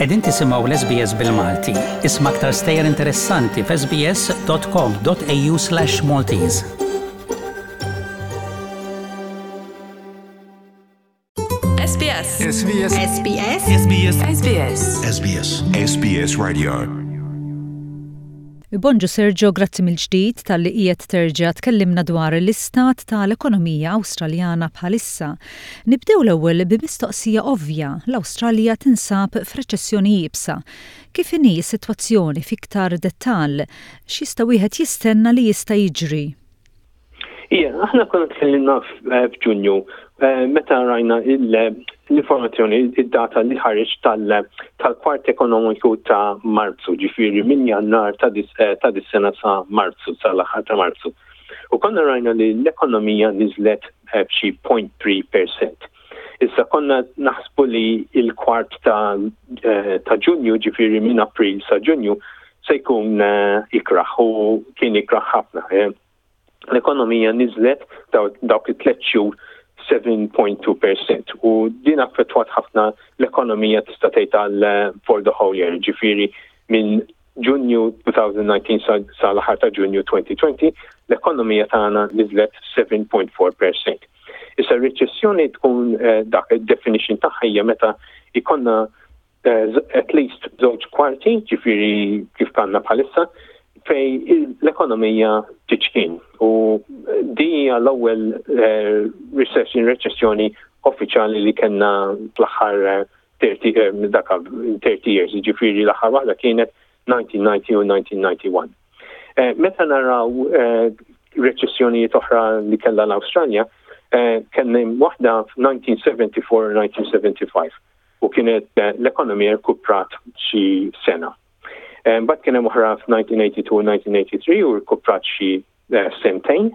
Qegħdin tisimgħu l-SBS bil-Malti. Isma' aktar stejjer interessanti f'sbs.com.au/Maltese. SBS. SBS. SBS. SBS. SBS. SBS. SBS Radio. Bonġu Sergio, grazzi mill-ġdid talli qiegħed terġa' tkellimna dwar l-istat tal-ekonomija Awstraljana bħalissa. Nibdew l-ewwel bi mistoqsija ovvja, l-Awstralja tinsab f'reċessjoni iebsa. Kif inhi s-sitwazzjoni f'iktar dettall? X'jista' wieħed jistenna li jista' jiġri? Ija, aħna konna tkellimna eh, f'Ġunju eh, meta rajna l-informazzjoni, id-data li ħareġ tal-kwart ekonomiku ta' Marzu, ġifieri minn Jannar ta' eh, dis-sena sa' Marzu, sa' l-aħħar ta' Marzu. U konna rajna li l-ekonomija niżlet b'xi 0.3%. Issa konna naħsbu li il-kwart ta' ta' Ġunju, ġifieri minn April sa' Ġunju, se jkun ikraħ u kien ikraħ ħafna. L-ekonomija niżlet dawk it-tliet xhur 7.2% u din affettwat ħafna l-ekonomija tista' tgħid għal eh, for the whole year, ġifieri minn Ġunju 2019 sa l-aħħar ta' Ġunju 2020 l-ekonomija tagħna niżlet 7.4%. Issa r-riċessjoni tkun eh, dak id-definition tagħha hija meta ikonna Eh, at least żewġ kwarti, ġifieri kif kanna bħalissa, fej l-ekonomija tiċkin. U di hija l-ewwel eh, recession, reċessjoni uffiċjali li kellna fl-aħħar 30 eh, daka 30 years, ġifieri l-aħħar waħda kienet 1990 u 1991. Meta naraw reċessjonijiet oħra li kellha l-Awstralja, kellna waħda f'1974 u 1975. u kienet eh, l-ekonomija rkuprat xi sena. Eh, mbagħad kien hemm oħra f'1982 u 1983 u rkuprat xi eh, sentejn.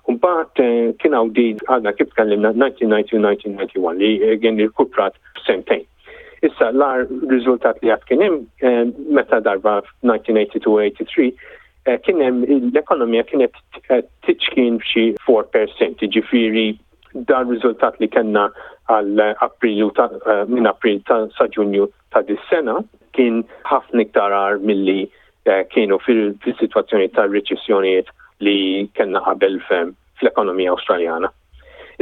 U mbagħad kien hawn din għadna kif tkellimna 1990 u 1991 li kien irkuprat sentejn. Issa l-ar riżultat li għad kien hemm meta darba f'1982 83 kien hemm l-ekonomija kienet tiċkien f'xi 4%, ġifieri Dan riżultat li kellna għal April ta' eh, minn April ta' sa Ġunju ta' dis-sena kien ħafna iktar agħar milli eh, kienu fil-sitwazzjoni ta' riċessjonijiet li kellna qabel fl-ekonomija Awstraljana.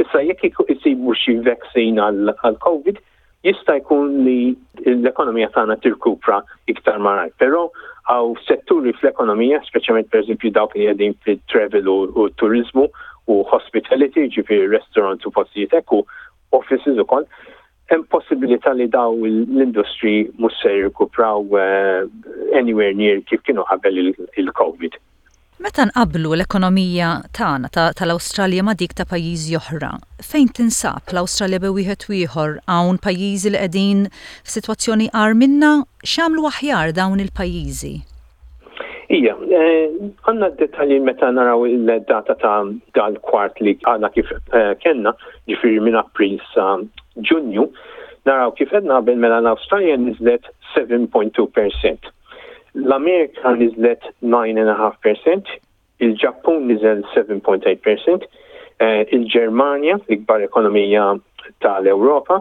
Issa jekk isibu xi vaccine għal COVID, Jista' jkun li l-ekonomija tagħna tirkupra iktar malajr, però hawn setturi fl-ekonomija, speċjalment pereżempju dawk li qegħdin fit-travel u t-turiżmu u hospitality, ġifieri restaurants u postijiet hekk u offices ukoll, hemm possibilità li daw l-industri mhux se jirkupraw eh, anywhere near kif kienu qabel il-COVID. Meta nqabblu l-ekonomija tagħna ta' tal-Awstralja ma' dik ta' pajjiżi oħra, fejn tinsab l-Awstralja bejn wieħed u ieħor? Hawn pajjiżi li qegħdin f'sitwazzjoni agħar minna? X'għamlu aħjar dawn il-pajjiżi? Ija, għandna d-dettalji meta naraw il-data ta' dal-kwart li għadna kif kellna, ġifieri minn April sa Ġunju, naraw kif għedna qabel mela l-Awstralja niżlet 7.2 percent. L-Amerika niżlet 9.5%, il-Ġappun niżel 7.8%, eh, il-Ġermanja, l-ikbar ekonomija tal-Ewropa,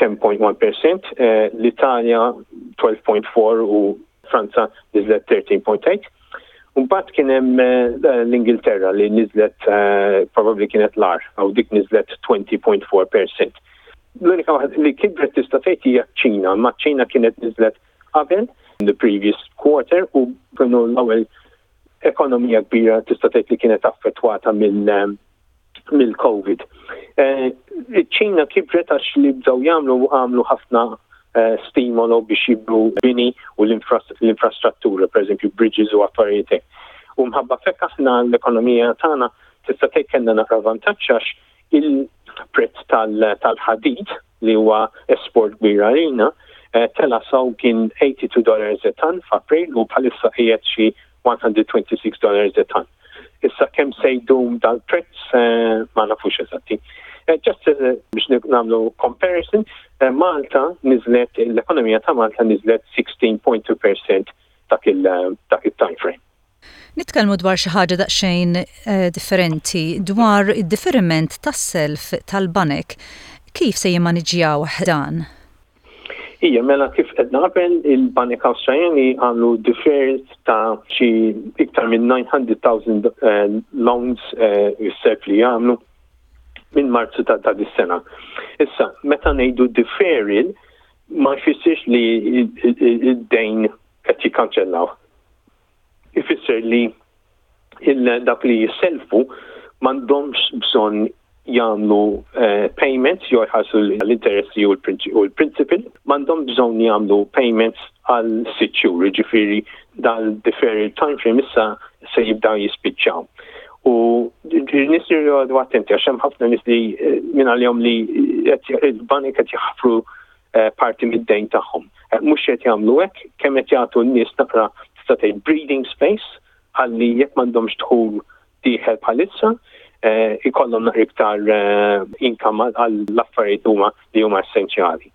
10.1%, eh, l-Italja 12.4 u Franza niżlet 13.8. Mbagħad kien hemm eh, l-Ingilterra li niżlet probabbli kienet l-ar, għaw dik niżlet 20.4%. L-unika waħda li kibret tista' tgħid hija ċ-Ċina, ma ċ-Ċina kienet niżlet qabel the previous quarter u kienu l-ewwel ekonomija kbira tista' tgħid li kienet affettwata mill-COVID. Eh, Iċ-Ċina kibret għax li bdew jagħmlu għamlu ħafna eh, stimolo biex jibru bini u l-infrastruttura, per eżempju bridges u affarijiet hekk. U mħabba fekk aħna l-ekonomija tagħna tista' tgħid kellna naqra vantaġġ għax il-prezz tal-ħadid li huwa esport kbir għalina, eh, tela saw kien 82 dollars a ton f'April u bħalissa qiegħed xi 126 dollars a ton. Issa kemm se jdum dal-prezz eh, ma nafux eżatti. Eh, just biex nagħmlu comparison, Malta niżlet l-ekonomija ta' Malta niżlet 16.2% dak il-time frame. Nitkellmu dwar xi ħaġa daqsxejn differenti, dwar id-diferiment tas-self tal-banek. Kif se jimmaniġġjawh dan? Ija, mela kif għedna qabel, il-Banek Awstraljani għamlu deferrals ta' xi iktar minn 900,000 eh, loans eh, self li jagħmlu minn Marzu ta' ta' dis-sena. Issa, meta ngħidu deferral, ma jfissirx li id-dejn qed jikkanċellaw. Ifisser li dawk li jisselfu m'għandhomx bżonn jagħmlu eh, payments jew jħallsu l-interessi u l-principal, m'għandhom bżonn jagħmlu payments għal sitt xhur, jiġifieri dal-deferred time frame issa se jibda jispiċċaw. U nies li jgħodu attenti għax hemm ħafna nies li eh, minn għalihom li il-banek qed jaħfru eh, parti mid-dejn tagħhom. Mhux qed jagħmlu hekk, kemm qed jagħtu n-nies naqra tista' tgħid breathing space ħalli jekk m'għandhomx dħul dieħel bħalissa, eh, ikollhom naqra iktar eh, income għall-affarijiet huma li huma essenzjali.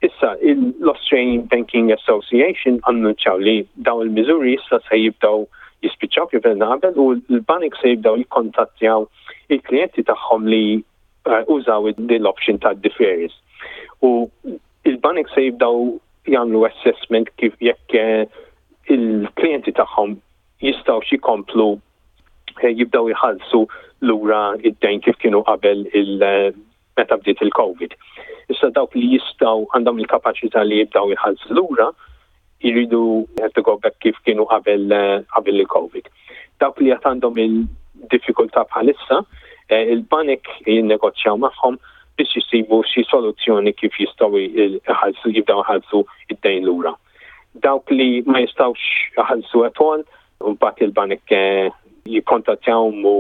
Issa, l-Australian Banking Association annunċaw li daw il-miżuri issa se jibdaw jispiċċaw kif għedna qabel u l-banek se jibdaw jikkontattjaw il-klijenti tagħhom li eh, użaw din l-option ta' deferrals. U il-banek se jibdaw jagħmlu assessment kif jekk il-klijenti tagħhom jistgħux jkomplu eh, jibdew jħallsu lura id-dejn kif kienu qabel il eh, meta bdiet il-COVID. Issa dawk li jistgħu għandhom il-kapaċità li jibdew jħallsu lura jridu have to go back kif kienu qabel eh, qabel il-COVID. Dawk li għad għandhom il-diffikultà bħalissa, il-banek jinnegozjaw magħhom biex jisibu xi soluzzjoni kif jistgħu jħallsu jibdew jħallsu id-dejn lura. Dawk li ma jistgħux iħallsu at all, mbagħad il-banek eh, jikkontattjawhom u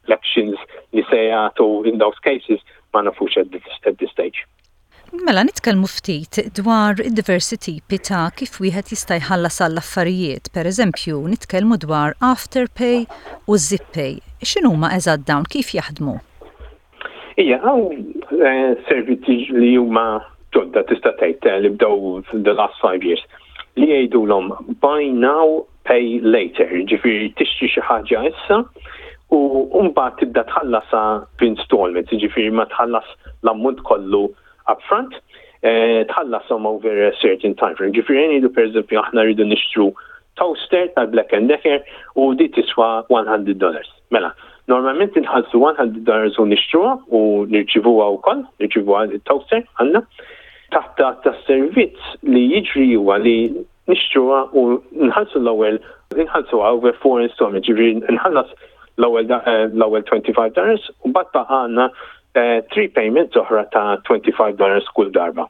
l-actions li se jagħtu in those cases ma nafux at this, at this stage. Mela nitkellmu ftit dwar id-diversi tipi ta' kif wieħed jista' jħallas għall-affarijiet. Per eżempju, nitkellmu dwar Afterpay u ZipPay. X'inhuma eżatt dawn, kif jaħdmu? Ija, hawn eh, servizzi li huma ġodda tista' tgħid eh, li bdew the last five years li jgħidulhom buy now, pay later, ġifieri tixtri xi ħaġa issa u mbagħad tibda tħallasha f'installments, ġifieri ma tħallas l-ammont kollu upfront, eh, tħallashom over a certain time frame. Ġifieri ngħidu pereżempju aħna rridu nixtru toaster tal-Black and Decker u di tiswa 100 dollars. Mela, normalment inħallsu 100 dollars u nixtruha u nirċivuha wkoll, nirċivuha it-toaster għandna. Taħt ta' servizz li jiġri huwa li nixtruha u nħallsu l-ewwel nħallsuha over four installments, ġifieri nħallas l-ewwel eh, l-ewwel 25 dollars u mbagħad baqa' għandna eh, three payments oħra ta' 25 dollars kull darba.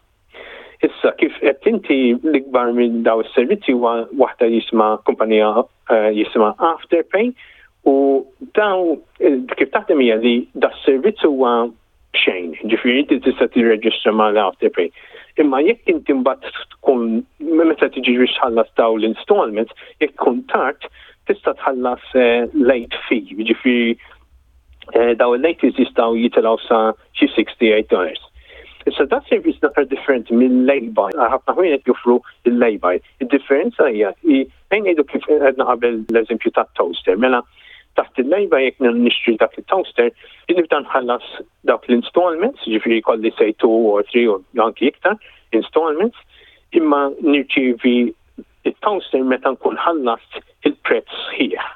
Issa kif qed inti l-ikbar minn daw is-servizzi huwa waħda jisma' kumpanija eh, jisma' Afterpay u daw eh, kif taħdem hija li da servizz huwa b'xejn, ġifieri inti tista' tirreġistra mal Afterpay. Imma jekk inti mbagħad tkun meta tiġi biex tħallas daw l-installments, jekk tkun tard, tista' tħallas eh, late fee, ġifieri daw il-late fees jistgħu jitilgħu sa xi 68 dollars. Issa da servizz naqra differenti mill-lay-by, ħafna ħwienet joffru il-lay-by. Id-differenza hija li ejn ngħidu kif għedna qabel l-eżempju ta' toaster, mela taħt il-lay-by jekk nixtri dak il-toaster, nibda nħallas dawk l-installments, ġifieri kolli say 2 or 3 or anki iktar installments, imma nirċievi il-toaster meta nkun ħallast il-prezz sħiħ.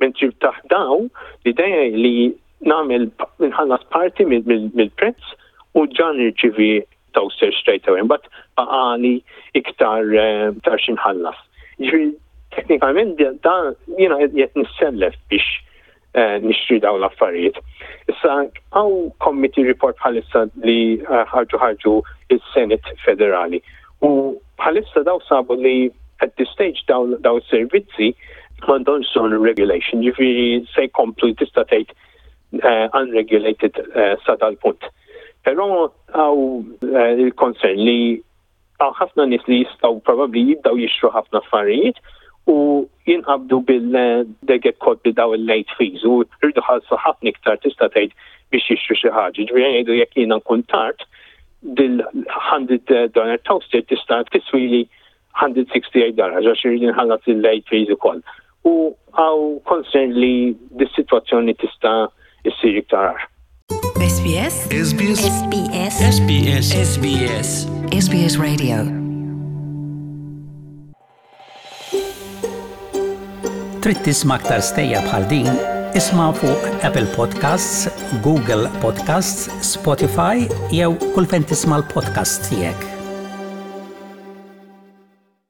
Mentri taħt daw, l-idea li nagħmel nħallas parti mill-prezz u ġa nirċivi toaster straight away, mbagħad baqali iktar eh, iktar xi nħallas. Ġifieri teknikament da jiena qed nissellef biex eh, nixtri dawn l-affarijiet. Issa hawn committee report bħalissa li eh, ħarġu ħarġu il-Senate Federali u bħalissa daw sabu li at this stage daw daw servizzi m'għandhomx bżonn regulation, ġifieri se jkomplu tista' tgħid uh, unregulated uh, sa dal-punt. Però hawn uh, il-concern li hawn ħafna nies li jistgħu probabbli jibdaw jixtru ħafna affarijiet u jinqabdu bil they get caught bil daw il-late fees u rridu ħalsu ħafna iktar tista' tgħid biex jixtru xi ħaġa. Ġifieri ngħidu jekk jiena nkun tard dil-100 dollar toaster tista' tiswili 168 dollars għax irrid inħallas il-late fees ukoll. U hawn concern li dis-sitwazzjoni tista' issir iktar agħar. SBS SBS SBS SBS SBS SBS Radio Trid tisma' aktar stejjer bħal din? Isma' fuq Apple Podcasts, Google Podcasts, Spotify jew kull fejn tisma' l-podcasts tiegħek.